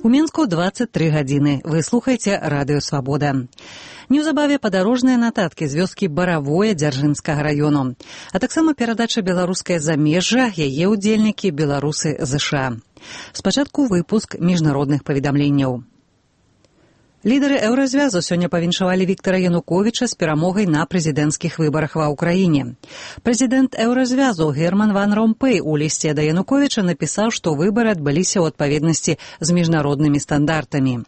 У Мінску 23 гадзіны. Вы слухаеце Радыё Свабода. Неўзабаве падарожныя нататкі з вёскі Баравое Дзяржынскага раёну. А таксама перадача беларускае замежжа, яе ўдзельнікі беларусы ЗША. Спачатку выпуск міжнародных паведамленняў. Лідары Еўразвязу сёння павіншавалі Віктара Януковіча з перамогай на прэзідэнцкіх выбарах ва ўкраіне. Прэзідэнт Еўразвязу Герман ван Ромпэй у лісце да Януковіча напісаў, што выбары адбыліся ў адпаведнасці з міжнароднымі стандартамі.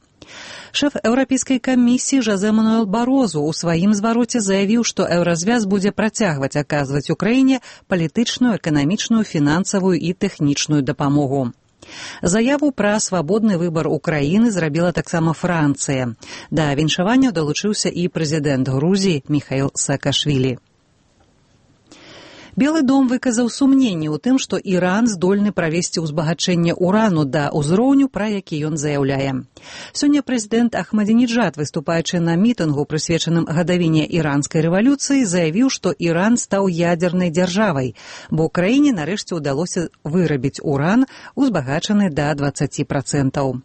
Шэф Еўрапейскай камісіі Жозе Мануэль Барозу ў сваім звароце заявіў, што Еўразвяз будзе працягваць аказваць Украіне палітычную, эканамічную, фінансавую і тэхнічную дапамогу. Заяву пра свабодны выбар Украіны зрабіла таксама Францыя. Да віншавання далучыўся і прэзідэнт Грузіі Міхаіл Саакашвілі. Белы дом выказаў сумненні ў тым, што Іран здольны правесці ўзбагачэнне урану да ўзроўню, пра які ён заяўляе. Сёння прэзідэнт Ахмадзінеджад, выступаючы на мітынгу, прысвечаным гадавіне іранскай рэвалюцыі, заявіў, што Іран стаў ядзернай дзяржавай, бо краіне нарэшце ўдалося вырабіць уран, узбагачаны да 20%.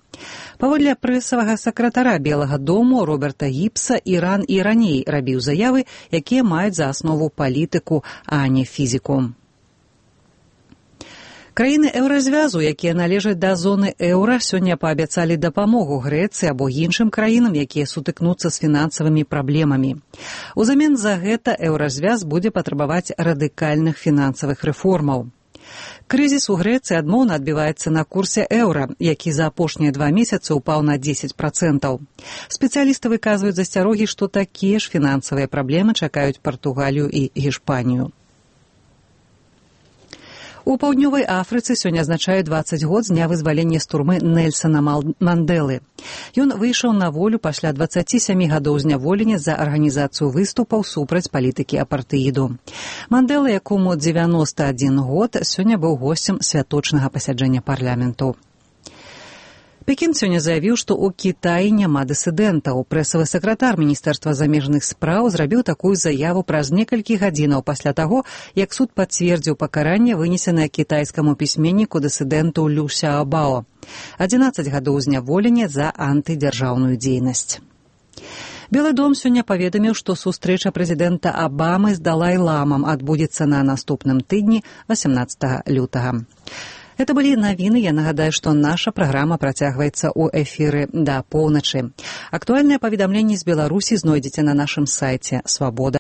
Паводле прэсавага сакратара Белага дому Роберта Гіпса, Іран і раней рабіў заявы, якія маюць за аснову палітыку, а не фізіку. Краіны Еўразвязу, якія належаць да зоны еўра, сёння паабяцалі дапамогу Грэцыі або іншым краінам, якія сутыкнуцца з фінансавымі праблемамі. Узамен за гэта Еўразвяз будзе патрабаваць радыкальных фінансавых рэформаў. Крызіс у Грэцыі адмоўна адбіваецца на курсе еўра, які за апошнія 2 месяцы ўпаў на 10%. Спецыялісты выказваюць засцярогі, што такія ж фінансавыя праблемы чакаюць Партугалію і Гішпанію. У паўднёвай Афрыцы сёння адзначаюць 20 год з дня вызвалення з турмы Нельсана Мандэлы. Ён выйшаў на волю пасля 27 гадоў зняволення за арганізацыю выступаў супраць палітыкі апартэіду. Мандэла, якому 91 год, сёння быў госцем святочнага пасяджэння парламенту. Пекін сёння заявіў, што ў Кітаі няма дысідэнтаў. Прэсавы сакратар Міністэрства замежных спраў зрабіў такую заяву праз некалькі гадзінаў пасля таго, як суд пацвердзіў пакаранне, вынесенае кітайскаму пісьменніку дысідэнту Лю Сяабао. 11 гадоў зняволення за антыдзяржаўную дзейнасць. Белы дом сёння паведаміў, што сустрэча прэзідэнта Абамы з Далай-ламам адбудзецца на наступным тыдні 18 лютага. Это былі навіны. Я нагадаю, што наша праграма працягваецца ў эфіры да поўначы. Актуальныя паведамленні з Беларусі знойдзеце на нашым сайце Свабода.